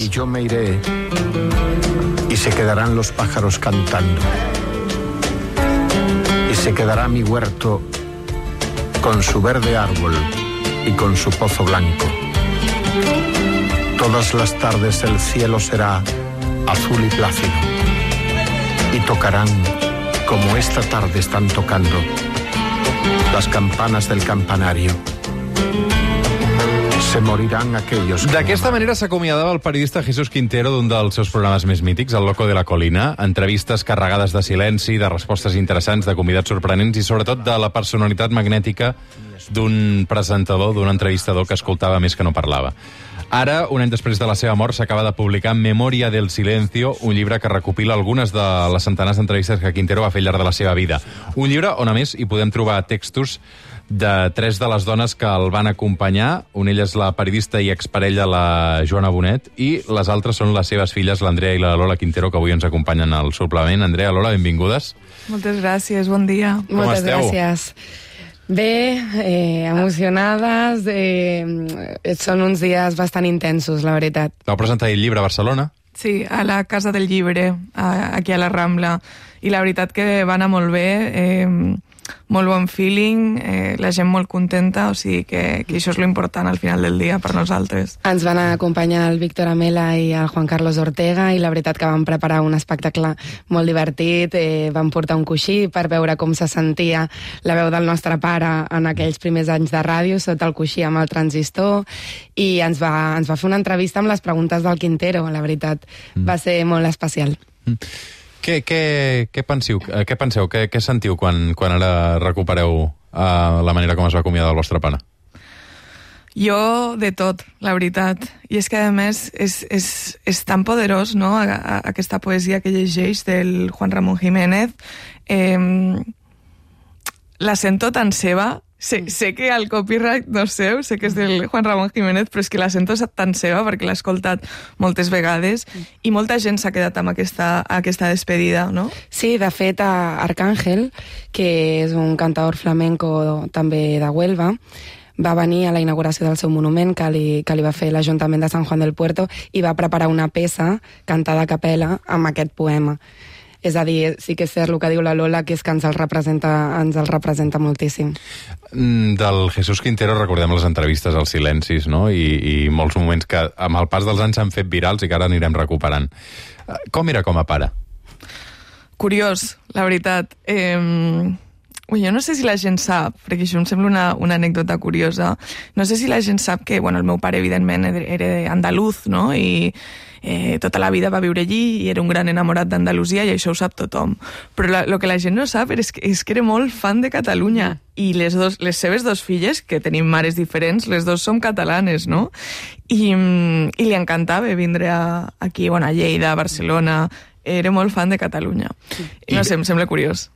Y yo me iré y se quedarán los pájaros cantando. Y se quedará mi huerto con su verde árbol y con su pozo blanco. Todas las tardes el cielo será azul y plácido. Y tocarán, como esta tarde están tocando, las campanas del campanario. Se moriran aquellos... D'aquesta manera s'acomiadava el periodista Jesús Quintero d'un dels seus programes més mítics, El Loco de la Colina. Entrevistes carregades de silenci, de respostes interessants, de convidats sorprenents i sobretot de la personalitat magnètica d'un presentador, d'un entrevistador que escoltava més que no parlava. Ara, un any després de la seva mort, s'acaba de publicar Memoria del Silencio, un llibre que recopila algunes de les centenars d'entrevistes que Quintero va fer al llarg de la seva vida. Un llibre on, a més, hi podem trobar textos de 3 de les dones que el van acompanyar. Una ella és la periodista i exparella, la Joana Bonet, i les altres són les seves filles, l'Andrea i la Lola Quintero, que avui ens acompanyen al suplement. Andrea, Lola, benvingudes. Moltes gràcies, bon dia. Moltes gràcies. Bé, emocionades, són uns dies bastant intensos, la veritat. Vau presentar el llibre a Barcelona? Sí, a la Casa del Llibre, aquí a la Rambla, i la veritat que va anar molt bé, molt bon feeling, la gent molt contenta, o sigui que això és l'important al final del dia per nosaltres. Ens van acompanyar el Víctor Amela i el Juan Carlos Ortega i la veritat que van preparar un espectacle molt divertit, van portar un coixí per veure com se sentia la veu del nostre pare en aquells primers anys de ràdio, sota el coixí amb el transistor, i ens va fer una entrevista amb les preguntes del Quintero, la veritat. Va ser molt especial. Què penseu, què sentiu quan ara recupereu la manera com es va acomiadar el vostre pare? Jo, de tot, la veritat. I és que, a més, és tan poderós, no?, aquesta poesia que llegeix del Juan Ramón Jiménez. La sento tan seva. Sé que el copyright no és seu, sé que és del Juan Ramón Jiménez, però és que la sento tan seva perquè l'he escoltat moltes vegades i molta gent s'ha quedat amb aquesta despedida, no? Sí, de fet, Arcángel, que és un cantador flamenco també de Huelva, va venir a la inauguració del seu monument que li va fer l'Ajuntament de Sant Juan del Puerto i va preparar una peça cantada a capella amb aquest poema. És a dir, sí que és cert el que diu la Lola, que és que ens el representa moltíssim. Del Jesús Quintero recordem les entrevistes als silencis, no? I molts moments que amb el pas dels anys s'han fet virals i que ara anirem recuperant. Com era com a pare? Curiós, la veritat. Jo no sé si la gent sap, perquè això em sembla una anècdota curiosa, no sé si la gent sap que, el meu pare, evidentment, era andaluz, no?, i tota la vida va viure allí i era un gran enamorat d'Andalusia i això ho sap tothom. Però el que la gent no sap és que era molt fan de Catalunya i les seves 2 filles, que tenim mares diferents, les 2 som catalanes, no? I li encantava vindre aquí, a Lleida, a Barcelona. Era molt fan de Catalunya. No sé, em sembla curiós.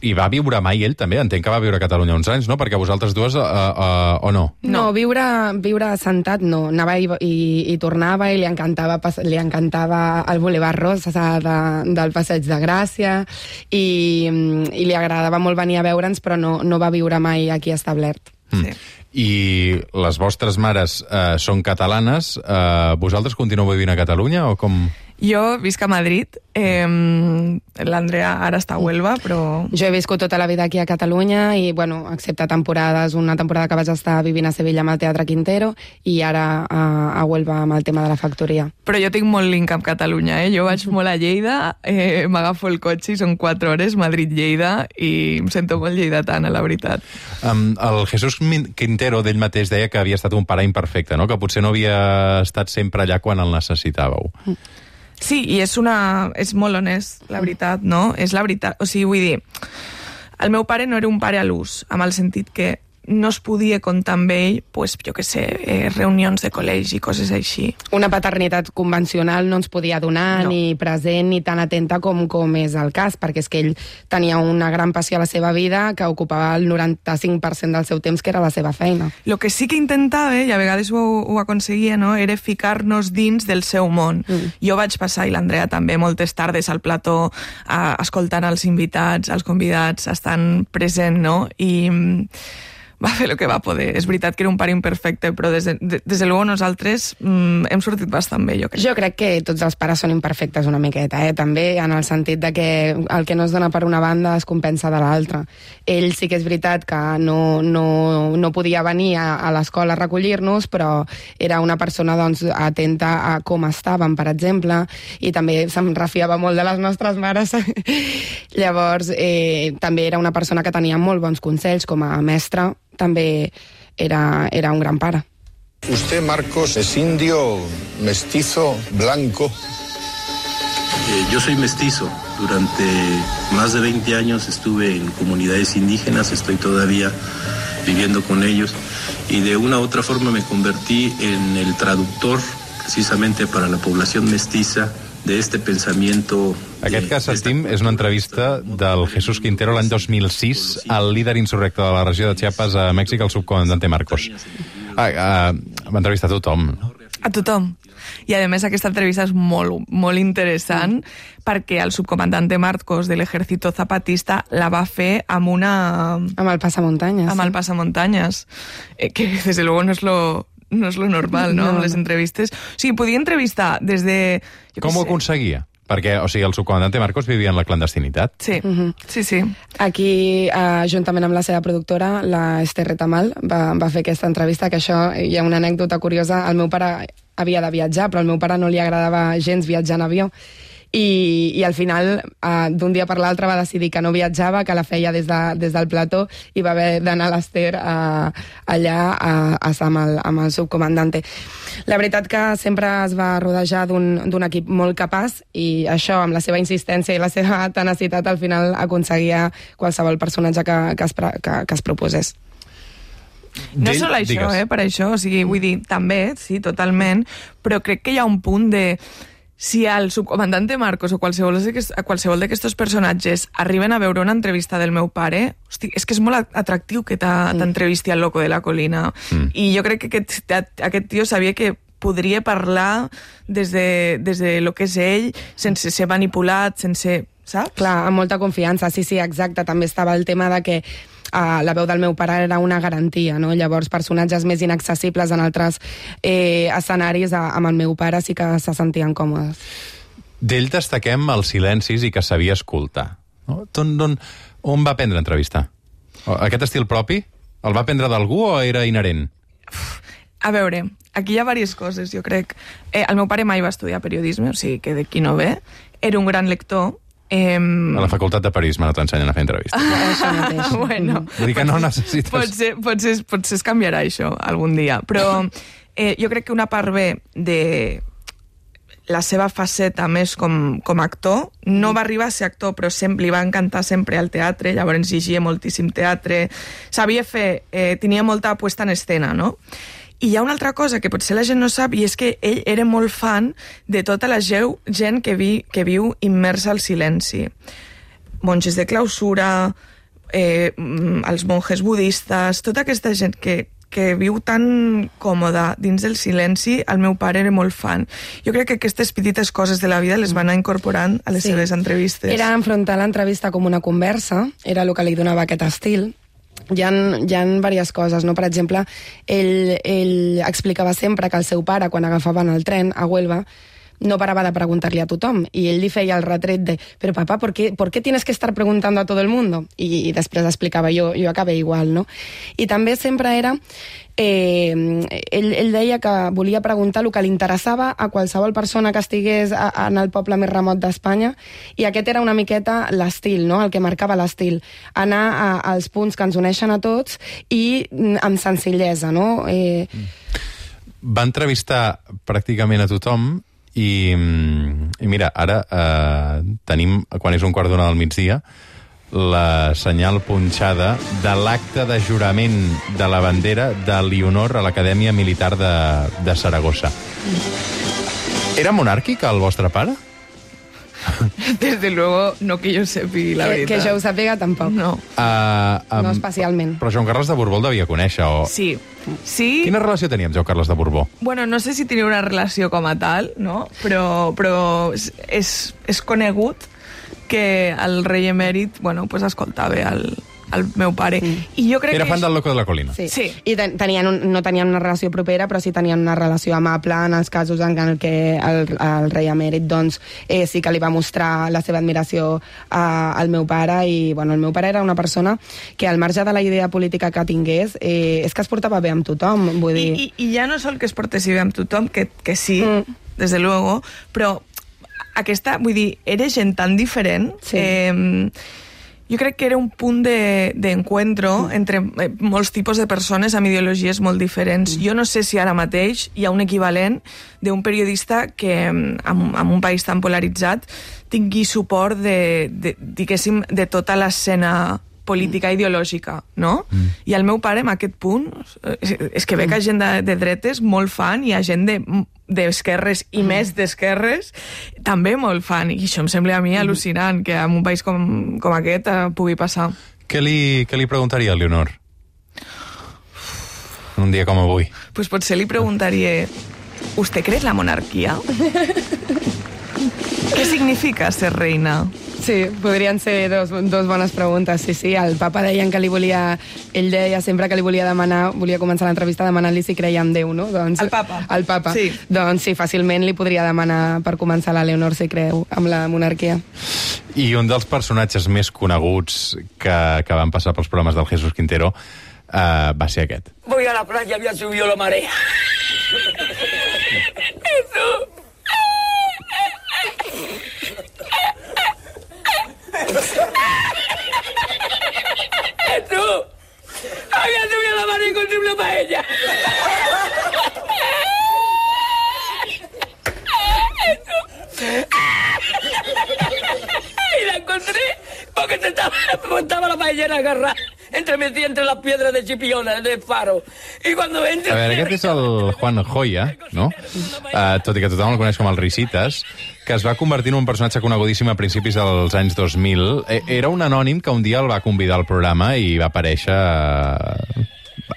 I va viure mai ell, també? Entenc que va viure a Catalunya uns anys, no? Perquè vosaltres dues, o no? No, viure assentat no. Anava i tornava i li encantava el Boulevard Rosa del Passeig de Gràcia i li agradava molt venir a veure'ns, però no va viure mai aquí establert. Sí. I les vostres mares són catalanes. Vosaltres continueu vivint a Catalunya o com...? Jo visc a Madrid, l'Andrea ara està a Huelva, però... Jo he viscut tota la vida aquí a Catalunya i, excepte temporades, una temporada que vaig estar vivint a Sevilla amb el Teatre Quintero i ara a Huelva amb el tema de la factoria. Però jo tinc molt link amb Catalunya, Jo vaig molt a Lleida, m'agafo el cotxe i són 4 hores, Madrid-Lleida, i em sento molt lleidatana, la veritat. El Jesús Quintero d'ell mateix deia que havia estat un pare imperfecte, no?, que potser no havia estat sempre allà quan el necessitàveu. Sí, i és molt honest, la veritat, no? És la veritat. O sigui, vull dir, el meu pare no era un pare a l'ús, amb el sentit que no es podia comptar amb ell, jo què sé, reunions de col·legi, coses així. Una paternitat convencional no ens podia donar, ni present, ni tan atenta com és el cas, perquè és que ell tenia una gran passió a la seva vida que ocupava el 95% del seu temps, que era la seva feina. El que sí que intentava, i a vegades ho aconseguia, no?, era ficar-nos dins del seu món. Jo vaig passar, i l'Andrea també, moltes tardes al plató, escoltant els invitats, els convidats, estant present, no?, i... va fer el que va poder. És veritat que era un pare imperfecte, però des de luego nosaltres hem sortit bastant bé, jo crec. Jo crec que tots els pares són imperfectes una miqueta, també, en el sentit de que el que no es dona per una banda es compensa de l'altra. Ell sí que és veritat que no podia venir a l'escola a recollir-nos, però era una persona doncs, atenta a com estàvem, per exemple, i també se'n refiava molt de les nostres mares. Llavors, també era una persona que tenia molt bons consells com a mestre, també era un gran pare. Usted, Marcos, es indio, mestizo, blanco. Yo soy mestizo. Durante más de 20 años estuve en comunidades indígenas, estoy todavía viviendo con ellos y de una u otra forma me convertí en el traductor precisamente para la población mestiza de este pensamiento. Aquest que sentim és una entrevista del Jesús Quintero l'any 2006 al líder insurrecte de la regió de Chiapas a Mèxic, el subcomandante Marcos. Va entrevistar a tothom. A tothom. I, a més, aquesta entrevista és molt, molt interessant perquè el subcomandante Marcos de l'Ejército Zapatista la va fer amb el passamuntanyes. Amb el passamuntanyes. Que, desde luego, no és lo normal, no? Amb les entrevistes. O sigui, podia entrevistar des de... Com ho aconseguia? Perquè, o sigui, el subcomandante Marcos vivia en la clandestinitat. Sí, sí. Aquí, juntament amb la seva productora, la Esther Retamal, va fer aquesta entrevista, que això, hi ha una anècdota curiosa. El meu pare havia de viatjar, però al meu pare no li agradava gens viatjar en avió. I al final, d'un dia per l'altre, va decidir que no viatjava, que la feia des del plató, i va haver d'anar a l'Ester allà a estar amb el subcomandante. La veritat que sempre es va rodejar d'un equip molt capaç, i això, amb la seva insistència i la seva tenacitat, al final aconseguia qualsevol personatge que es proposés. No és sol això, per això, o sigui, vull dir, també, sí, totalment, però crec que hi ha un punt de... Si el subcomandante Marcos o qualsevol d'aquests personatges arriben a veure una entrevista del meu pare, hosti, és que és molt atractiu que t'entrevisti al Loco de la Colina. I jo crec que aquest tio sabia que podria parlar des de lo que és ell, sense ser manipulat, sense... Saps? Clar, amb molta confiança, sí, exacte. També estava el tema de que la veu del meu pare era una garantia, no? Llavors, personatges més inaccessibles en altres escenaris, amb el meu pare sí que se sentien còmodes. D'ell destaquem els silencis i que sabia escoltar. No? On va aprendre a entrevistar? Aquest estil propi? El va aprendre d'algú o era inherent? A veure, aquí hi ha diverses coses, jo crec. El meu pare mai va estudiar periodisme, o sigui que d'aquí no ve. Era un gran lector. A la facultat de periodisme no t'ensenyen a fer entrevistes. Això mateix. Bueno, vull dir que no necessites... Potser es canviarà això algun dia, però jo crec que una part bé de la seva faceta més com a actor, no va arribar a ser actor, però li va encantar sempre al teatre, llavors llegia moltíssim teatre, sabia fer, tenia molta puesta en escena, no? I hi ha una altra cosa que potser la gent no sap, i és que ell era molt fan de tota la gent que viu immersa al silenci. Monges de clausura, els monjes budistes, tota aquesta gent que viu tan còmoda dins del silenci, el meu pare era molt fan. Jo crec que aquestes petites coses de la vida les van anar incorporant a les seves entrevistes. Era enfrontar l'entrevista com una conversa, era el que li donava aquest estil. Hi ha diverses coses, no? Per exemple, ell explicava sempre que el seu pare, quan agafaven el tren a Huelva, no paraba de preguntarle a tothom, i ell li feia el retret de «Pero papá, ¿por qué tienes que estar preguntando a todo el mundo?» I després explicava jo acabé igual, no? I també sempre era... ell deia que volia preguntar el que li interessava a qualsevol persona que estigués en el poble més remot d'Espanya, i aquest era una miqueta l'estil, no? El que marcava l'estil, anar als punts que ens uneixen a tots i amb senzillesa, no? Va entrevistar pràcticament a tothom i mira, ara tenim, quan és 1:15 p.m, la senyal punxada de l'acte de jurament de la bandera de l'Honor a l'Acadèmia Militar de Saragossa. Era monàrquic el vostre pare? Desde luego, no que jo sàpiga la veritat. Que jo ho sàpiga, tampoc. No. No especialment. Però Joan Carles de Borbó el devia conèixer, o...? Sí. Quina relació tenia amb Joan Carles de Borbó? Bueno, no sé si tenia una relació com a tal, no? Però és conegut que el rei emèrit, bueno, pues escoltava el meu pare. I jo crec Era que fan del Loco de la Colina. Sí. Sí. I no tenien una relació propera, però sí tenien una relació amable en els casos en què el rei emèrit doncs, sí que li va mostrar la seva admiració al meu pare, i bueno, el meu pare era una persona que al marge de la idea política que tingués, és que es portava bé amb tothom, vull dir... I ja no sol que es portessi bé amb tothom, que sí, desde luego, però aquesta, vull dir, era gent tan diferent... Sí. Jo crec que era un punt d'encuentro entre molts tipus de persones amb ideologies molt diferents. Jo no sé si ara mateix hi ha un equivalent d'un periodista que, en un país tan polaritzat, tingui suport diguéssim, de tota l'escena política ideològica, no? I el meu pare, en aquest punt, és que ve que gent de dretes molt fan, i hi ha gent d'esquerres i més d'esquerres també molt fan, i això em sembla a mi al·lucinant, que en un país com aquest pugui passar. Què li preguntaria a Leonor? Un dia com avui. Pues potser li preguntaria: ¿usted cree en la monarquía? ¿Qué significa ser reina? Sí, podrien ser dos bones preguntes. Sí, el papa deien que ell deia sempre que li volia començar l'entrevista demanant-li si creia en Déu, no? Doncs, el papa? El papa. Sí. Doncs sí, fàcilment li podria demanar per començar la Leonor si creu amb la monarquia. I un dels personatges més coneguts que van passar pels programes del Jesús Quintero va ser aquest. Voy a la playa, había subido la marea. Jesús. ¡Jesús! ¡Había subido la marea y encontré una paella! ¡Jesús! Y la encontré porque estaba la paellera agarrada entre las piedras de Chipiona, del faro. Y cuando entra... A veure, aquest és el Juan Joya, no? Tot i que tothom el coneix com el Risitas, que es va convertir en un personatge conegudíssim a principis dels anys 2000. Era un anònim que un dia el va convidar al programa i va aparèixer...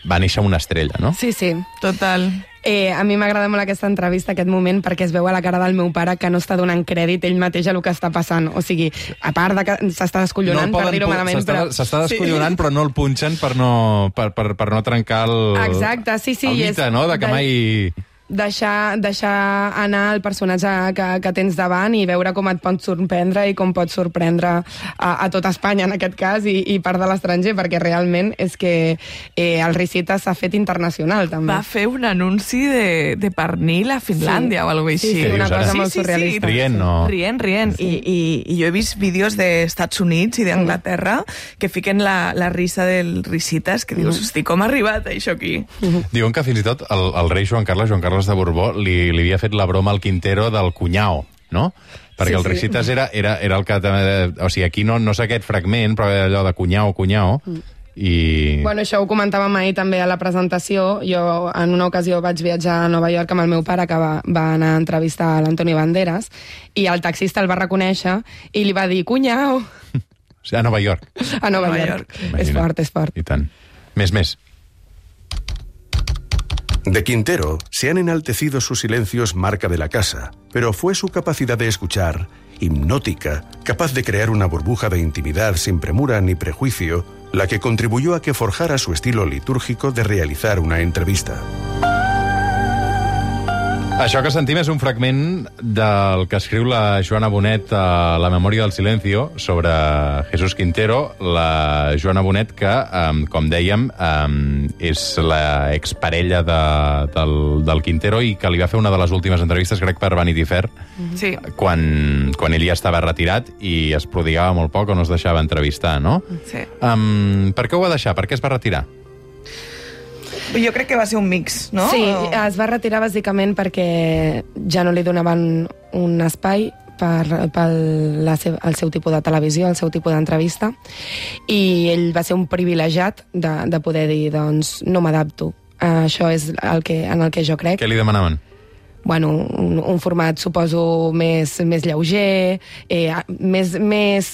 Va néixer una estrella, no? Sí, Total. A mi m'agrada molt aquesta entrevista, aquest moment, perquè es veu a la cara del meu pare que no està donant crèdit ell mateix a el que està passant. O sigui, a part de que s'està descollonant, per dir-ho malament, però... S'està descollonant, però no el punxen per no trencar el... Exacte, sí, el mite, no?, de que mai... Deixar anar el personatge que tens davant i veure com et pot sorprendre i com pot sorprendre a tot Espanya, en aquest cas, i part de l'estranger, perquè realment és que el Risitas s'ha fet internacional, també. Va fer un anunci de pernil a Finlàndia o alguna cosa així. Sí, una cosa molt surrealista. Rient, no? Rient. I jo he vist vídeos d'Estats Units i d'Anglaterra que fiquen la risa del Risitas, que dius, hosti, com ha arribat això aquí? Diuen que fins i tot el rei Joan Carles de Borbó li havia fet la broma al Quintero del cunyao, no? Perquè el Risitas era el que... O sigui, aquí no sé aquest fragment, però era allò de cunyao, i... Bueno, això ho comentàvem ahir també a la presentació. Jo en una ocasió vaig viatjar a Nova York amb el meu pare, que va anar a entrevistar a l'Antonio Banderas, i el taxista el va reconèixer i li va dir cunyao. O sigui, a Nova York. A Nova York. És fort. I tant. Més. De Quintero se han enaltecido sus silencios marca de la casa, pero fue su capacidad de escuchar, hipnótica, capaz de crear una burbuja de intimidad sin premura ni prejuicio, la que contribuyó a que forjara su estilo litúrgico de realizar una entrevista. Això que sentim és un fragment del que escriu la Joana Bonet a La memòria del silencio sobre Jesús Quintero. La Joana Bonet, que, com dèiem, és l'exparella del Quintero i que li va fer una de les últimes entrevistes, crec, per Vanity Fair, sí. quan ell ja estava retirat i es prodigava molt poc o no es deixava entrevistar, no? Sí. Per què ho va deixar? Per què es va retirar? Jo crec que va ser un mix, no? Sí, es va retirar bàsicament perquè ja no li donaven un espai pel seu tipus de televisió, el seu tipus d'entrevista, i ell va ser un privilegiat de poder dir, doncs, no m'adapto. Això és en el que jo crec. Què li demanaven? Bueno, un format, suposo, més lleuger, més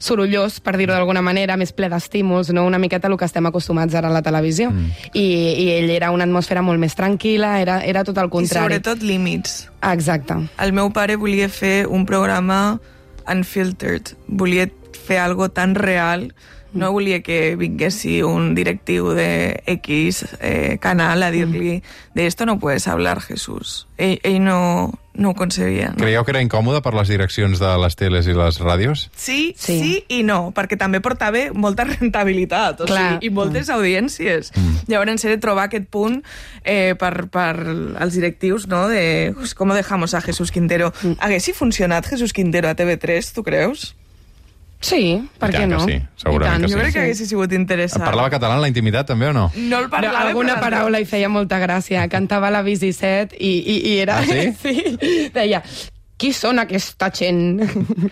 sorollós, per dir-ho d'alguna manera, més ple d'estímuls, no? Una miqueta el que estem acostumats ara a la televisió. I ell era una atmosfera molt més tranquil·la, era tot el contrari. I sobretot límits. Exacte. El meu pare volia fer un programa unfiltered, volia fer algo tan real No volia que vinguessi un directiu de X canal a dir-li de esto no puedes hablar, Jesús. Ell no ho concebia. No? Creieu que era incòmode per les direccions de les teles i les ràdios? Sí i no, perquè també portava molta rentabilitat, i moltes audiències. Llavors he de trobar aquest punt per als directius, no?, de com dejamos a Jesús Quintero. Haguessi funcionat Jesús Quintero a TV3, tu creus? Sí, per què no? Sí, segurament que sí. Jo crec que haguessi sigut interessant. Parlava català en la intimitat, també, o no? No el parlava, alguna paraula hi feia molta gràcia. Cantava la Bici 7 i era... Ah, sí? Sí. Deia, qui són aquesta gent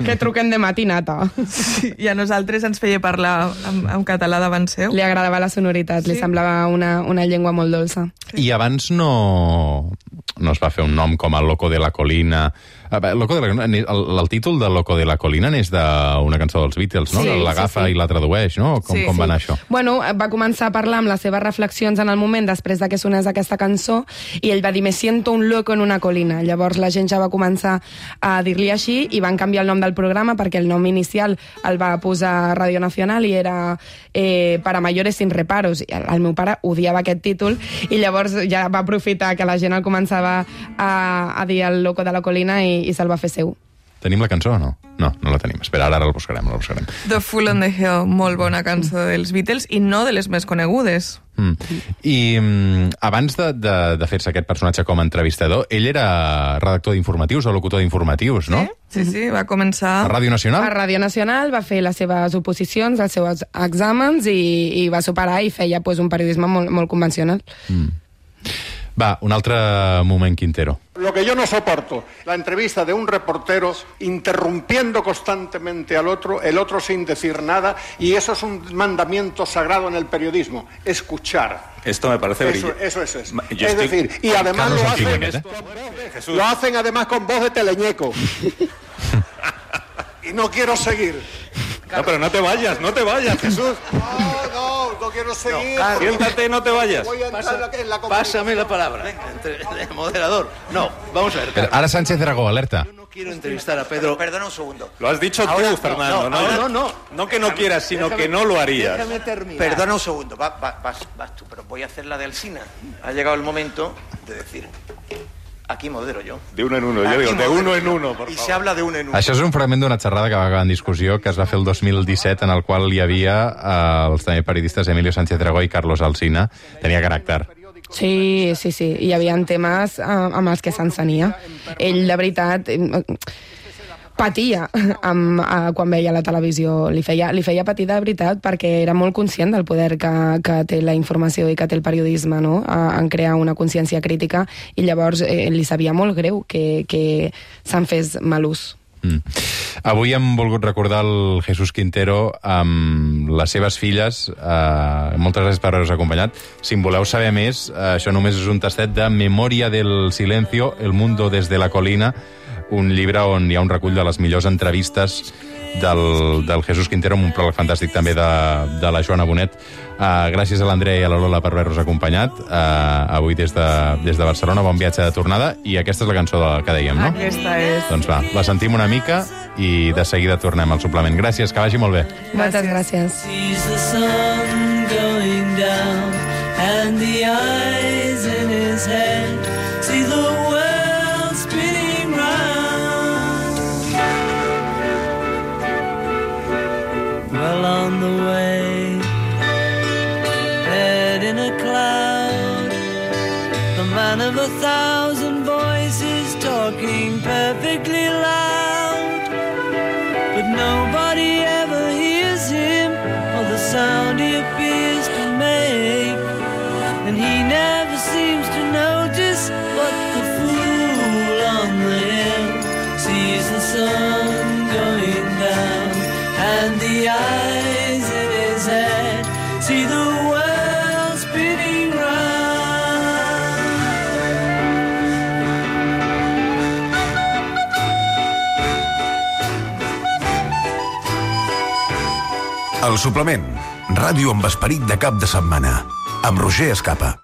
que truquen de matinata? Sí, i a nosaltres ens feia parlar en català davant seu. Li agradava la sonoritat, li semblava una llengua molt dolça. I abans no es va fer un nom com el Loco de la Colina. El títol de Loco de la Colina n'és d'una cançó dels Beatles, no? Sí, L'agafa i la tradueix, no? Com va anar això? Bueno, va començar a parlar amb les seves reflexions en el moment després de que sonés aquesta cançó i ell va dir, me siento un loco en una colina. Llavors la gent ja va començar a dir-li així i van canviar el nom del programa perquè el nom inicial el va posar Radio Nacional i era Para mayores sin reparos. El meu pare odiava aquest títol i llavors ja va aprofitar que la gent el començava a dir el Loco de la Colina i se'l va fer seu. Tenim la cançó o no? No la tenim. Espera, ara la buscarem. The Fool on the Hill, molt bona cançó dels Beatles i no de les més conegudes. I abans de fer-se aquest personatge com a entrevistador, ell era redactor d'informatius o locutor d'informatius, no? Sí, va començar... A Ràdio Nacional? A Ràdio Nacional, va fer les seves oposicions, els seus exàmens i va superar i feia un periodisme molt convencional. Va, un altre moment, Quintero. Lo que yo no soporto, la entrevista de un reportero interrumpiendo constantemente al otro, el otro sin decir nada, y eso es un mandamiento sagrado en el periodismo, escuchar. Esto me parece brillante. Eso es. Es decir, y además lo hacen además con voz de teleñeco. Y no quiero seguir. No, pero no te vayas, Jesús. No quiero seguir. No, siéntate, no te vayas. Voy a entrar en la Pásame la palabra. Venga, moderador. No, vamos a ver. Pero ahora Sánchez Dragó, alerta. Yo no quiero entrevistar a Pedro. Perdona un segundo. Lo has dicho ahora, tú, Fernando. No que no quieras, sino que no lo harías. Déjame terminar. Perdona un segundo. Vas tú, pero voy a hacer la de Alsina. Ha llegado el momento de decir... Aquí modero jo. De uno en uno, jo digo, de uno en uno, por favor. I se habla de uno en uno. Això és un fragment d'una xerrada que va acabar en discussió, que es va fer el 2017, en el qual hi havia els també periodistes Emilio Sánchez Dragó i Carlos Alsina. Tenia caràcter. Sí. Hi havia temes amb els que s'encenia. Ell, de veritat... patia quan veia la televisió. Li feia patir de veritat perquè era molt conscient del poder que té la informació i que té el periodisme, no?, en crear una consciència crítica, i llavors li sabia molt greu que se'n fes mal ús. Avui hem volgut recordar el Jesús Quintero amb les seves filles. Moltes gràcies per haver-nos acompanyat. Si en voleu saber més, això només és un tastet de Memoria del Silencio, El mundo desde la colina, un llibre on hi ha un recull de les millors entrevistes del Jesús Quintero, amb un pròleg fantàstic també de la Joana Bonet. Gràcies a l'Andrea i a la Lola per haver-nos acompanyat avui des de Barcelona. Bon viatge de tornada. I aquesta és la cançó que dèiem, no? Aquesta és. Doncs va, la sentim una mica i de seguida tornem al suplement. Gràcies, que vagi molt bé. Moltes gràcies. On the way, head in a cloud, the man of 1,000 voices talking perfectly loud, but nobody ever hears him or the sound he appears to make, and he never seems to notice what the fool on the hill sees the sun going down, and the eyes in his head see the world spinning round. El suplement, ràdio amb esperit de cap de setmana, amb Roger Escapa.